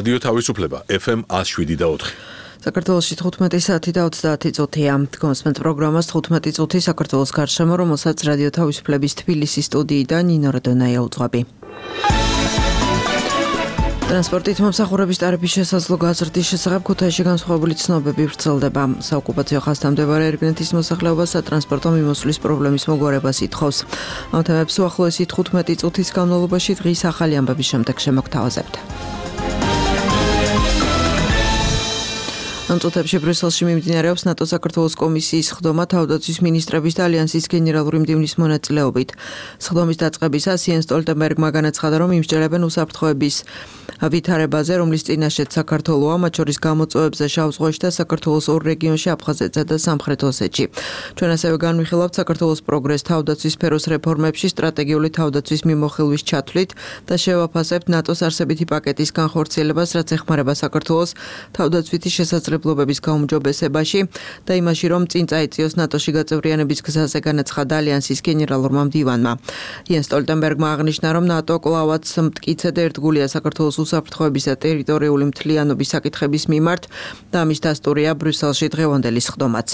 რადიო თავისუფლება FM 107.4. საქართველოში 15 საათი და 30 წუთია. კონსმენტ პროგრამას 15 წუთი საქართველოს გარშემო, რომელსაც რადიო თავისუფლების თბილისის სტუდიიდან ნინო როდონაია უძღვები. ტრანსპორტით მომსახურების ტარიფის შესაძლო გაზრდის შესახებ ქუთაისში განსხვავებული ცნობები ვრცელდება. საოკუპაციო ხაზთან მდებარე ერგნეთის მოსახლეობა სატრანსპორტო მიმოსვლის პრობლემის მოგვარებას ითხოვს. ამ თემებს უახლოესი 15 წუთის განმავლობაში დღის ახალი ამბების შემდეგ შემოგთავაზებთ. ამ წუთებში ბრიუსელში მიმდინარეობს ნატო-საქართველოს კომისიის სხდომა თავდაცვის მინისტრების და ალიანსის გენერალური მდივნის მონაწილეობით. სხდომის დაწყებისას იენს სტოლტენბერგმა განაცხადა, რომ იმსჯელებენ უსაფრთხოების ვითარებაზე, რომლის წინაშეც საქართველოა, მათ შორის გამოწვევებზე შავ ზღვაში და საქართველოს ორ რეგიონში აფხაზეთსა და სამხრეთ ოსეთში. ჩვენ ასევე განვიხილავთ საქართველოს პროგრესს თავდაცვის სფეროს რეფორმებში, სტრატეგიული თავდაცვის მიმოხილვის ჩათვლით და შევაფასებთ ნატოს არსებითი პაკეტის განხორციელებას, რაც ეხმარება საქართველოს თავდაცვითი შესაძლებლობების გაუმჯობესებაში და იმაში, რომ წინ წაიწიოს ნატოში გაწევრიანების გზაზე, განაცხადა ალიანსის გენერალურმა მდივანმა. იენს სტოლტენბერგმა აღნიშნა, რომ ნატო კვლავაც მტკიცედ ერთგულია საქართველოს უსაფრთხოების და ტერიტორიული მთლიანობის საკითხების მიმართ და ამის დასტურია ბრიუსელში დღევანდელი სხდომაც.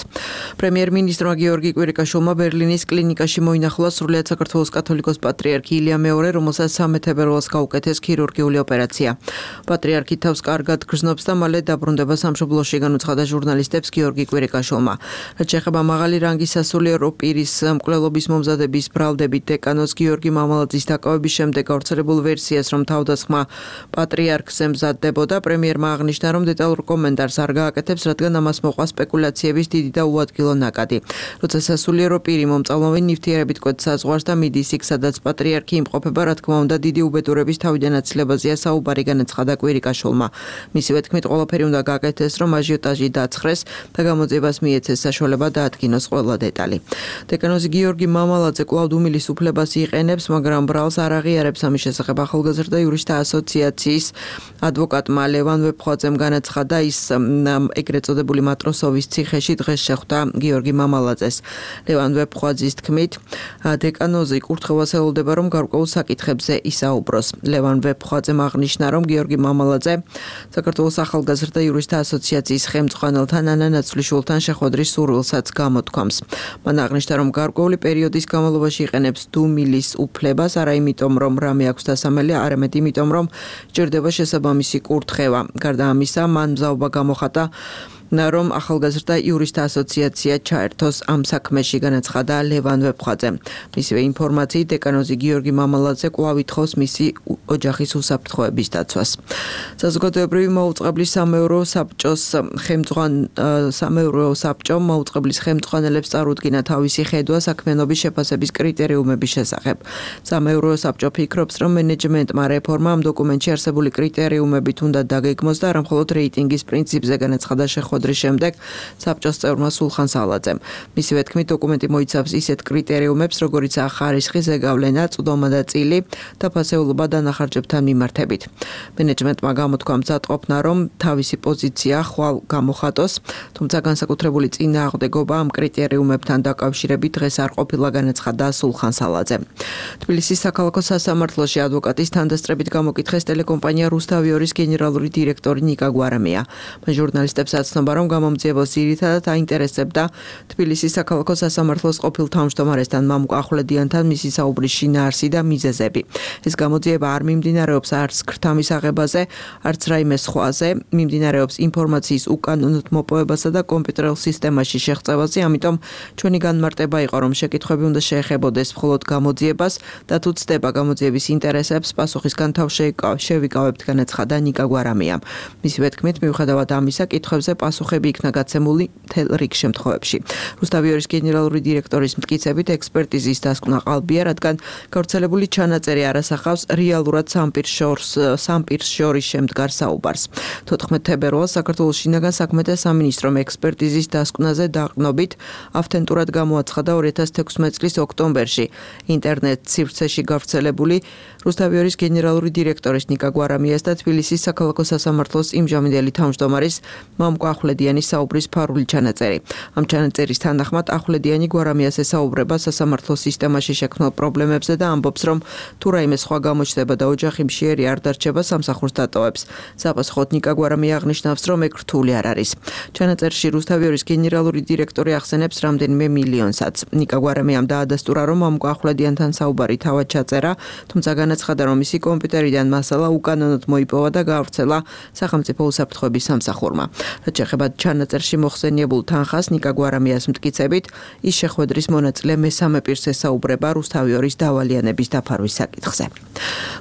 პრემიერ-მინისტრმა გიორგი კვირიკაშვილმა ბერლინის კლინიკაში მოინახულა სრულიად საქართველოს კათოლიკოს პატრიარქი ილია მეორე, რომელსაც 13 თებერვალს გაუკეთეს ქირურგიული ოპერაცია. პატრიარქი თავს კარგად გრძნობს და მალე დაბრუნდება სამშობლოში, განუცხადა ჟურნალისტებს გიორგი კვირიკაშვილმა. რაც შეეხება მაღალი რანგის სასულიერო პირის მკვლელობის მომზადების ბრალდებით დეკანოს გიორგი მამალაძის დაკავების შემდეგ გავრცელებულ ვერსიას, რომ თავდასხმა პატრიარქზე მზადდებოდა, პრემიერმა აღნიშნა, რომ დეტალურ კომენტარს არ გააკეთებს, რადგან ამას მოყვა სპეკულაციების დიდი და უადგილო ნაკადი. როცა სასულიერო პირი მომწავლოვი ნივთიერებით კვეთს საზღვარს და მიდის იქ, სადაც პატრიარქი იმყოფება, რა თქმა უნდა, დიდი უბედურების თავიდან აცილებაზეა საუბარი, განაცხადა კვირიკაშვილმა. მისივე თქმით, ყველაფერი უნდა გააკეთეს, რომ აჟიოტაჟი დაცხრეს და გამოძიებას მიეცეს საშუალება დაადგინოს ყველა დეტალი. დეკანოზი გიორგი მამალაძე კვლავ დუმილის უფლებას იყენებს, მაგრამ ბრალს არ აღიარებს ამის შესახებ ახალგაზრდა იურისტთა ასოციაციის ადვოკატმა ლევან ვეფხვაძემ განაცხადა, ის ეგრეთ წოდებული მატროსოვის ციხეში დღეს შეხვდა გიორგი მამალაძეს. ლევან ვეფხვაძის თქმით, დეკანოზი კურთხევას ელოდება, რომ გარკვეულ საკითხებზე ისაუბროს. ლევან ვეფხვაძემ აღნიშნა, რომ გიორგი მამალაძე საქართველოს ახალგაზრდა იურისტთა ასოციაციის ხელმძღვანელთან ანა ნაცვლიშვილთან შეხვედრის სურვილსაც გამოთქვამს. მან აღნიშნა, რომ გარკვეული პერიოდის განმავლობაში იყენებს დუმილის უფლებას, არა იმიტომ, რომ რამე აქვს დასამელი, არამედ იმიტომ, რომ სჭირდება შესაბამისი კურთხევა. გარდა ამისა, მან მზაობა გამოხატა, რომ ახალგაზრდა იურისტთა ასოციაცია ჩაერთოს ამ საქმეში, განაცხადა ლევან ვეფხვაძემ. მისივე ინფორმაციით, დეკანოზი გიორგი მამალაძე კვლავ ითხოვს მისი ოჯახის უსაფრთხოების დაცვას. საზოგადოებრივი მაუწყებლის სამეურვეო საბჭომ მაუწყებლის ხელმძღვანელებს წარუდგინა თავისი ხედვა საქმიანობის შეფასების კრიტერიუმების შესახებ. სამეურვეო საბჭო ფიქრობს, რომ მენეჯმენტმა რეფორმა ამ დოკუმენტში არსებული კრიტერიუმებით უნდა დაგეგმოს და არა მხოლოდ რეიტინგის პრინციპზე, განაცხადა შეხვედრის შემდეგ საბჭოს წევრმა სულხან სალაძემ. მისივე თქმით, დოკუმენტი მოიცავს ისეთ კრიტერიუმებს, როგორიცაა ხარისხი, ზეგავლენა, წვდომა და წილი და ფასეულობა დანახარჯებთან მიმართებით. მენეჯმენტმა გამოთქვა მზადყოფნა, რომ თავისი პოზიცია ხვალ გამოხატოს, თუმცა განსაკუთრებული წინააღმდეგობა ამ კრიტერიუმებთან დაკავშირებით დღეს არ ყოფილა, განაცხადა სულხან სალაძემ. თბილისის საქალაქო სასამართლოში ადვოკატის თანდასწრებით გამოკითხეს ტელეკომპანია რუსთავიორის გენერალური დირექტორი ნიკა გვარამია. მან ჟურნალისტებს აცნობა, რომ გამომძიებელს ძირითადად აინტერესებდა თბილისის საქალაქო სასამართლოს ყოფილ თავმჯდომარესთან მამუკ ახვლედიანთან მისი საუბრის შინაარსი და მიზეზები. ეს გამოძიება არ მიმდინარეობს არც ქრთამის აღებაზე, არც რაიმე სხვაზე, მიმდინარეობს ინფორმაციის უკანონოდ მოპოვებასა და კომპიუტერულ სისტემაში შეღწევაზე, ამიტომ ჩვენი განმარტება იყო, რომ შეკითხვები უნდა შეეხებოდეს მხოლოდ გამოძიებას და თუ ცდება გამოძიების ინტერესებს, პასუხისგან თავ შევიკავებთ, განაცხადა ნიკა გვარამიამ. მისივე თქმით, მიუხედავად ამისა, კითხვებზე პასუხები იქნა გაცემული მთელ რიგ შემთხვევებში. რუსთავიორის გენერალური დირექტორის მტკიცებით, ექსპერტიზის დასკვნა ყალბია, რადგან გავრცელებული ჩანაწერი არ ასახავს რეალურად სამ პირს შორის შემდგარ საუბარს. 14 თებერვალს საქართველოს შინაგან საქმეთა სამინისტრომ ექსპერტიზის დასკვნაზე დაყრდნობით ავთენტურად გამოაცხადა 2016 წლის ოქტომბერში ინტერნეტ სივრცეში გავრცელებული რუსთავიორის გენერალური დირექტორის ნიკა გვარამიას და თბილისის საქალაქო სასამართლოს იმჟამინდელი თავმჯდომარის მამუკ ახვლედიანის საუბრის ფარული ჩანაწერი. Ამ ჩანაწერის თანახმად ახვლედიანი გვარამიას ესაუბრება სასამართლო სისტემაში შექმნილ პრობლემებზე და ამბობს, რომ თუ რაიმე სხვა გამოჩნდება და ოჯახი მშიერი არ დარჩება, სამსახურს დატოვებს. Საპასუხოდ ნიკა გვარამია აღნიშნავს, რომ ეგ რთული არ არის. ჩანაწერში რუსთავიორის გენერალური დირექტორი ახსენებს რამდენიმე მილიონსაც. ნიკა გვარამიამ დაადასტურა, რომ ამ ახვლედიანთან საუბარი თავად ჩაწერა, თუმცა განაცხადა, რომ მისი კომპიუტერიდან მასალა უკანონოდ მოიპოვა და გაავრცელა სახელმწიფო უსაფრთხოების სამსახურმა. რაც შეეხება ჩანაწერში მოხსენიებულ თანხას, ნიკა გვარამიას მტკიცებით, ის შეხვედრის მონაწილე მესამე პირს ესაუბრება რუსთავიორის დავალიანების დაფარვის საკითხზე.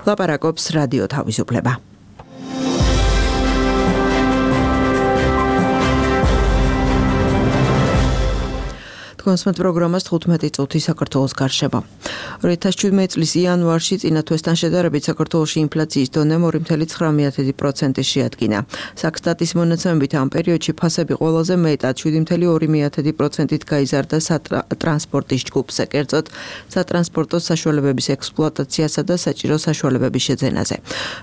ლაპარაკობს რადიო თავისუფლება. კონსმეთ პროგრამას 15 წუთი საქართველოს გარშემო. 2017 წლის იანვარში წინა თვესთან შედარებით საქართველოში ინფლაციის დონე 2.9% შეადგინა. საქსტატის მონაცემებით ამ პერიოდში ფასები ყველაზე მეტად 7.2%-ით გაიზარდა ტრანსპორტის ჯგუფზე, კერძოდ სატრანსპორტო საშუალებების ექსპლუატაციასა და საჭირო საშუალებების შეძენაზე.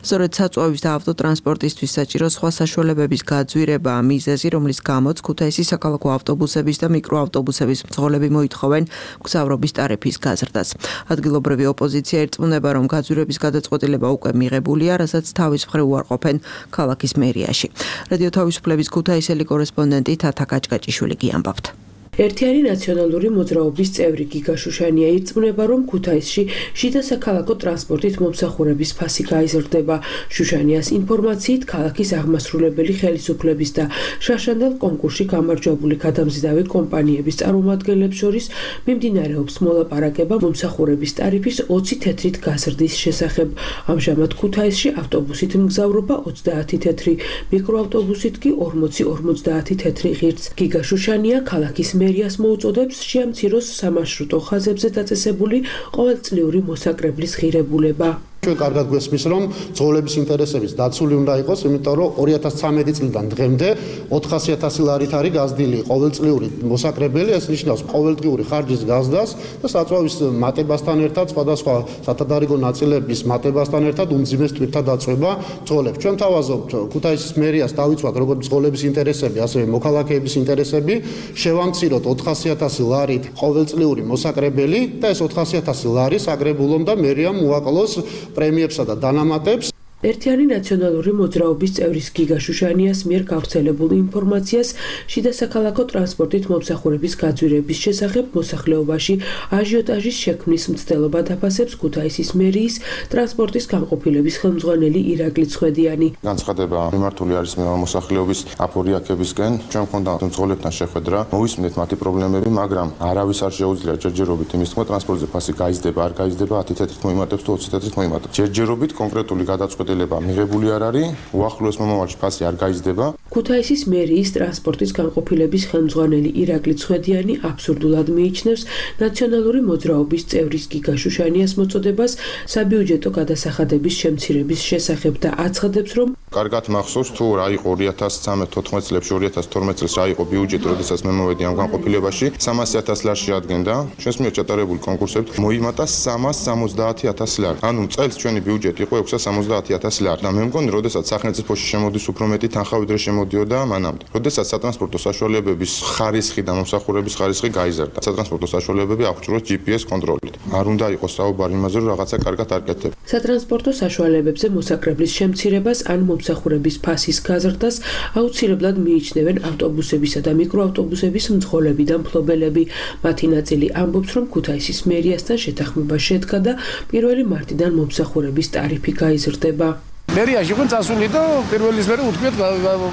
სწორედ საწვავის და ავტოტრანსპორტისთვის საჭირო სხვა საშუალებების გაძვირებაა მიზეზი, რომლის გამოც ქუთაისის საქალაქო ავტობუსების და მიკროავტობუსების მძღოლები მოითხოვენ მგზავრობის ტარიფის გაზრდას. ადგილობრივი ოპოზიცია ერწმუნება, რომ გაძვირების გადაწყვეტილება უკვე მიღებულია, რასაც თავის მხრივ უარყოფენ ქალაქის მერიაში. რადიო თავისუფლების ქუთაისელი კორესპონდენტი თათა კაჭკაჭიშვილი გიამბობთ. ერთიანი ნაციონალური მოძრაობის წევრი გიგა შუშანია ირწმუნება, რომ ქუთაისში შიდა საქალაქო ტრანსპორტით მომსახურების ფასი გაიზრდება. შუშანიას ინფორმაციით, ქალაქის აღმასრულებელი ხელისუფლების და შაშანდელ კონკურსში გამარჯვებული გადამზიდავი კომპანიების წარმომადგენლებს შორის მიმდინარეობს მოლაპარაკება მომსახურების ტარიფის 20 თეთრით გაზრდის შესახებ. ამჟამად ქუთაისში ავტობუსით მგზავრობა 30 თეთრი, მიკროავტობუსით კი 40-50 თეთრი ღირს. გიგა შუშანია ქალაქის მერიას მოუწოდებს შეამციროს სამარშრუტო ხაზებზე დაწესებული ყოველწლიური მოსაკრებლის ღირებულება. ჩვენ კარგად გვესმის, რომ მძღოლების ინტერესების დაცული უნდა იყოს, იმიტომ რომ 2013 წლიდან დღემდე 400.000 ლარით არის გაზრდილი ყოველწლიური მოსაკრებელი, ეს ნიშნავს ყოველდღიური ხარჯის გაზრდას და საწვავის მატებასთან ერთად სხვადასხვა სათადარიგო ნაწილების მატებასთან ერთად უმძიმეს თვირთა დაწვება მძღოლებს. ჩვენ თავაზობთ ქუთაისის მერიას დავიცვათ როგორც მძღოლების ინტერესები, ასევე მოქალაქეების ინტერესები, შევამციროთ 400.000 ლარით ყოველწლიური მოსაკრებელი და ეს 400.000 ლარი საგრებულომ და მერიამ უაკლოს პრემიებსა და დანამატებს. ერთიანი ნაციონალური მოძრაობის წევრის გიგა შუშანიას მიერ გავრცელებულ ინფორმაციას შიდა საქალაქო ტრანსპორტით მომსახურების გაძვირების შესახებ მოსახლეობაში აჟიოტაჟის შექმნის მცდელობა დაფასებს ქუთაისის მერიის ტრანსპორტის განყოფილების ხელმძღვანელი ირაკლი ცხედიანი. განცხადება მიმართული არის მოსახლეობის აპორიაქებისკენ. ჩვენ გვქონდა მძღოლებთან შეხვედრა, მოვისმენთ მათი პრობლემები, მაგრამ არავის არ შეუძლია ჯერჯერობით იმის თქმა, ტრანსპორტზე ფასი გაიზრდება, არ გაიზრდება, 10 თეთრით მოიმატებს თუ 20 თეთრით მოიმატებს. ჯერჯერობით კონკრეტული გადაწყვეტილება მიღებული არ არის, უახლოეს მომავალში ფასი არ გაიზრდება. ქუთაისის მერიის ტრანსპორტის განყოფილების ხელმძღვანელი ირაკლი ცხედიანი აბსურდულად მიიჩნევს ნაციონალური მოძრაობის წევრის გიგა შუშანიას მოწოდებას საბიუჯეტო გადასახადების შემცირების შესახებ და აცხადებს, რომ კარგად მახსოვს თუ რა იყო 2013-14 წლებში, 2012 წელს რა იყო ბიუჯეტი, როდესაც მე მოვედი ამ განყოფილებაში, 300.000 ლარს შეადგენდა. ჩვენს მიერ ჩატარებული კონკურსებით მოიმატა 370.000 ლარი. ანუ წელს ჩვენი ბიუჯეტი იყო 670.000 ლარი. და მე მგონი, როდესაც სახელმწიფოში შემოდის უფრო მეტი თანხა, ვიდრე შემოდიოდა მანამდე. როდესაც სატრანსპორტო საშუალებების ხარისხი და მომსახურების ხარისხი გაიზარდა. სატრანსპორტო საშუალებები აღჭურვოს GPS კონტროლით. არ უნდა იყოს საუბარი იმაზე, რომ რაღაცა კარგად არ კეთდება. სატრანსპორტო საშუალებებზე მოსაკრებლის შემცირებას ან მომსახურების ფასის გაზრდას აუცილებლად მიიჩნევენ ავტობუსებისა და მიკროავტობუსების მძღოლები და მფლობელები. მათი ნაწილი ამბობს, რომ ქუთაისის მერიასთან შეთანხმება შედგა და 1 მარტიდან მომსახურების ტარიფი გაიზრდება. მერიაში ყო წასული და პირველის მერე უთქვიეთ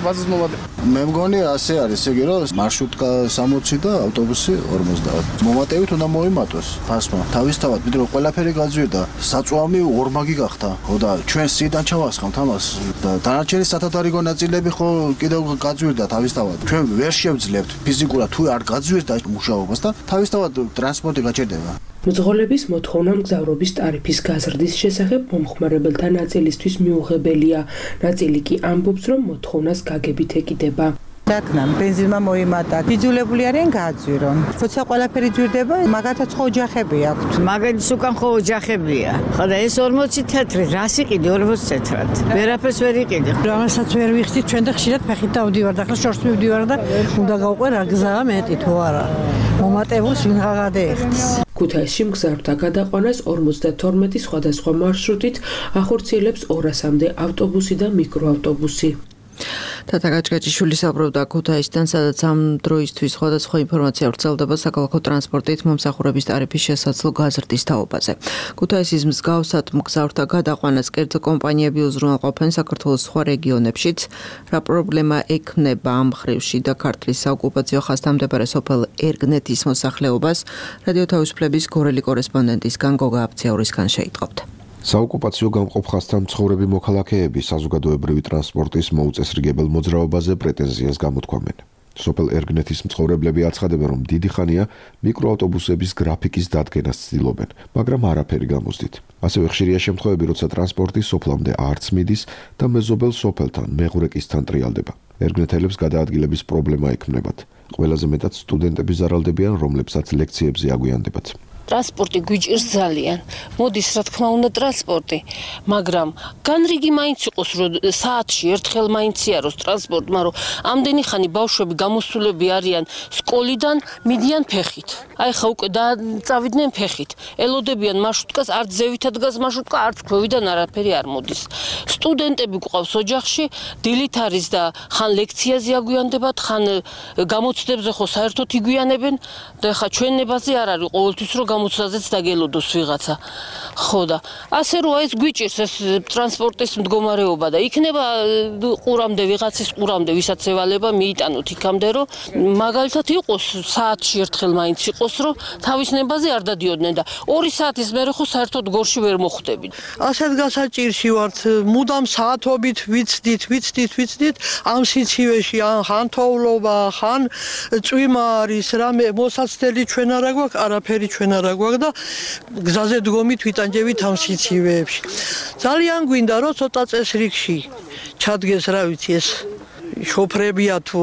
ბაზის მომატება. მე მგონი ასე არის, ეგ რომ მარშრუტკა 60 და ავტობუსი 50. მომატებით უნდა მოიმატოს ფასმა. თავისთავად, ვიდრე ყველაფერი გაძვირდა, საწვავი ორმაგი გახდა. ხო და ჩვენ სიდან ჩავასხამთ ამას და დანარჩენი სათადარიგო ნაწილები ხო კიდევ გაძვირდა თავისთავად. ჩვენ ვერ შევძლებთ ფიზიკურად თუ არ გაძვირდა მუშაობას და თავისთავად ტრანსპორტი გაჭირდება. მძღოლების მოთხოვნა მგზავრობის ტარიფის გაზრდის შესახებ მომხმარებელთა ნაწილისთვის მიუღებელია. ნაწილი კი ამბობს, რომ მოთხოვნას გაგებით ეკიდება. დაკნან, ბენზინმა მოიმატა. იძულებული არიან გააძვირონ. როცა ყველაფერი ძვირდება, მაგათაც ხო ოჯახები აქვთ. მაგალის უკან ხო ოჯახებია. ხოდა ეს 40 თეთრი, რას იყიდი 40 თეთრად? ვერაფერს ვერ იყიდი. რამასაც ვერ ვიხდით, ჩვენ და ხშირად ფეხით დავდივარ და ახლა შორს მივდივარ და უნდა გავყვე რა გზაა მეტი თუ არა. მომატებულს ვინღა გადაეხდის. ქუთაისში მგზავრთა გადაყვანას 52 სხვადასხვა მარშრუტით ახორციელებს 200-მდე ავტობუსი და მიკროავტობუსი. თათა გაჭგაჭიშვილი საუბრობდა ქუთაისიდან, სადაც ამ დროისთვის სხვადასხვა ინფორმაცია ვრცელდება საქალაქო ტრანსპორტით მომსახურების ტარიფის შესაძლო გაზრდის თაობაზე. ქუთაისის მსგავსად მგზავრთა გადაყვანას კერძო კომპანიები უზრუნველყოფენ საქართველოს სხვა რეგიონებშიც. რა პრობლემა ექმნება ამ მხრივში და ქართლის საოკუპაციო ხაზთან მდებარე სოფელ ერგნეთის მოსახლეობას, რადიო თავისუფლების გორელი კორესპონდენტისგან გოგა აფციაურისგან შეიტყობთ. საოკუპაციო გამყოფ ხაზთან მცხოვრები მოქალაქეები საზოგადოებრივი ტრანსპორტის მოუწესრიგებელ მოძრაობაზე პრეტენზიას გამოთქვამენ. სოფელ ერგნეთის მცხოვრებლები აცხადებენ, რომ დიდი ხანია მიკროავტობუსების გრაფიკის დადგენას ცდილობენ, მაგრამ არაფერი გამოსდით. ასევე ხშირია შემთხვევები, როცა ტრანსპორტი სოფლამდე არც მიდის და მეზობელ სოფელთან მეღურეკისთან ტრიალდება. ერგნეთელებს გადაადგილების პრობლემა ექმნებათ. ყველაზე მეტად სტუდენტები ზარალდებიან, რომლებსაც ლექციებზე აგვიანდებათ. ტრანსპორტი გვიჭირს ძალიან. მოდის რა თქმა უნდა ტრანსპორტი, მაგრამ განრიგი მაინც იყოს, რომ საათში ერთხელ მაინც იაროს ტრანსპორტი, მაგრამ ამდენი ხანი ბავშვები გამოსულები არიან სკოლიდან, მიდიან ფეხით. აი ხა უკვე წავიდნენ ფეხით. ელოდებიან მარშრუტკას, არც ზევითად დგას მარშრუტკა, არც ქვევიდან არაფერი არ მოდის. სტუდენტები გვყავს ოჯახში, დილით არის და ხან ლექციაზე აგვიანდებათ, ხან გამოცდებზე ხო საერთოდ იგვიანებენ და ხა ჩვენებაზე არ არის ყოველთვის რომ გამოცდაზეც დაგელოდოს ვიღაცა. ხო და ასე რომ ეს გვიჭირს ეს ტრანსპორტის მდგომარეობა და იქნება ყურამდე ვიღაცის ყურამდე ვისაც ევალება მიიტანოთ იქამდე რომ მაგალითად იყოს საათში ერთხელ მაინც იყოს რომ თავის ნებაზე არ დადიოდნენ და 2 საათის მერე ხო საერთოდ გორში ვერ მოხვდებით. ასეთ გასაჭირში ვართ, მუდამ საათობით ვიცდით ამ სიცივეში ხან თოვლობა, ხან წვიმა არის, რამე მოსაცდელი ჩვენ არა გვაქვს, არაფერი ჩვენ არა გვაქვს და გზაზე დგომით ვიტანჯებით ამ სიცივეებში. ძალიან გვინდა რომ ცოტა წესრიგში ჩადგეს, რა ვიცი, ეს შოფრებია თუ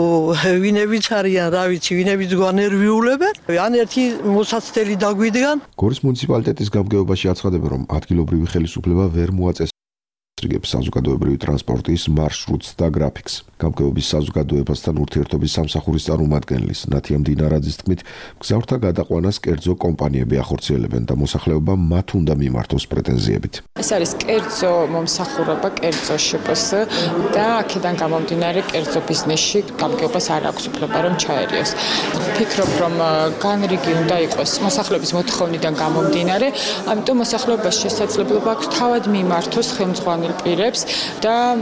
ვინებიც არიან, რა ვიცი, ვინებიც გვანერვიულებენ, ან ერთი მოსაცდელი დაგვიდგან. გორის მუნიციპალიტეტის გამგეობაში აცხადებენ, რომ ადგილობრივი ხელისუფლება ვერ მოაწესრიგებს საზოგადოებრივი ტრანსპორტის მარშრუტს და გრაფიკს. გამგეობის საზოგადოებასთან ურთიერთობის სამსახურის წარმომადგენლის ნათია მდინარაძის თქმით, მგზავრთა გადაყვანას კერძო კომპანიები ახორციელებენ და მოსახლეობა მათ უნდა მიმართოს პრეტენზიებით. ეს არის კერძო მომსახურება, კერძო შპს და აქედან გამომდინარე კერძო ბიზნესში გამგეობას არ აქვს უფლება რომ ჩაერიოს. ვფიქრობ, რომ განრიგი უნდა იყოს მოსახლეობის მოთხოვნიდან გამომდინარე, ამიტომ მოსახლეობას შესაძლებლობა აქვს თავად მიმართოს ხელმძღვანელ პირებს და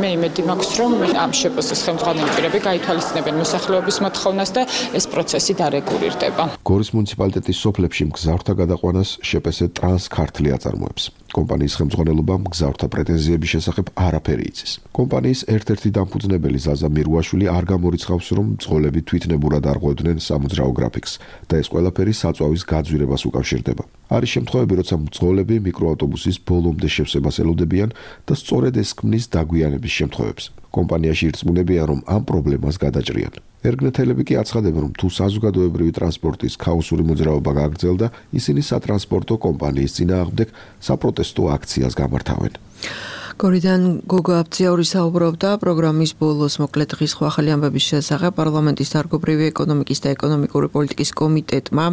მე იმედი მაქვს, რომ ამ შპს-ის ხელმძღვანელი პირები გაითვალისწინებენ მოსახლეობის მოთხოვნას და ეს პროცესი დარეგულირდება. გორის მუნიციპალიტეტის სოფლებში მგზავრთა გადაყვანას შპს ტრანსქართლი აწარმოებს. კომპანიის ხელმძღვანელობა მგზავრთა პრეტენზიების შესახებ არაფერი იცის. კომპანიის ერთ-ერთი დამფუძნებელი ზაზა მირუაშვილი არ გამორიცხავს, რომ მძღოლები თვითნებურად არღვევდნენ სამოძრაო გრაფიკს და ეს ყველაფერი საწვავის გაძვირებას უკავშირდება. არის შემთხვევები, როცა მძღოლები მიკროავტობუსის ბოლომდე შევსებას ელოდებიან და სწორედ ეს ქმნის დაგვიანების შემთხვევებს. კომპანიაში ირწმუნებიან, რომ ამ პრობლემას გადაჭრიან. ერგნეთელები კი აცხადებენ, რომ თუ საზოგადოებრივი ტრანსპორტის ქაოსური მოძრაობა გაგრძელდა, ისინი სატრანსპორტო კომპანიის წინააღმდეგ საპროტესტო აქციას გამართავენ. გორიდან გოგა აფციაური საუბრობდა პროგრამის ბოლოს მოკლედ დღის ახალი ამბების შესახებ პარლამენტის დარგობრივი ეკონომიკის და ეკონომიკური პოლიტიკის კომიტეტმა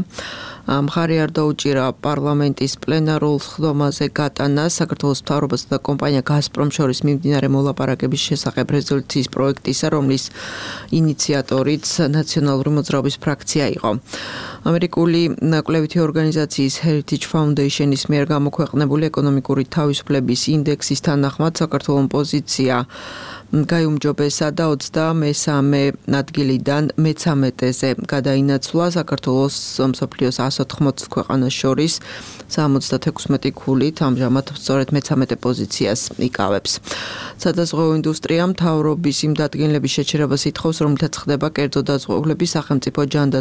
მხარი არ დაუჭირა პარლამენტის პლენარულ სხდომაზე გატანას საქართველოს მთავრობასა და კომპანია გაზპრომ შორის მიმდინარე მოლაპარაკების შესახებ რეზოლუციის პროექტისა, რომლის ინიციატორიც ნაციონალური მოძრაობის ფრაქცია იყო. ამერიკული კვლევითი ორგანიზაციის Heritage Foundation-ის მიერ გამოქვეყნებული ეკონომიკური თავისუფლების ინდექსის თანახმად საქართველოს პოზიცია გაიუმჯობესა და 23 ადგილიდან მე-13-ზე გადაინაცვლა. საქართველოს მსოფლიოს 180 ქვეყანას შორის 76 ქულით ამჟამად სწორედ მე-13 პოზიციას იკავებს. სადაზღვევო ინდუსტრია მთავრობის იმ დადგენილების შეჩერებას ითხოვს, რომლითაც ხდება კერძო დაზღვევლები სახელმწიფო ჯანდაცვის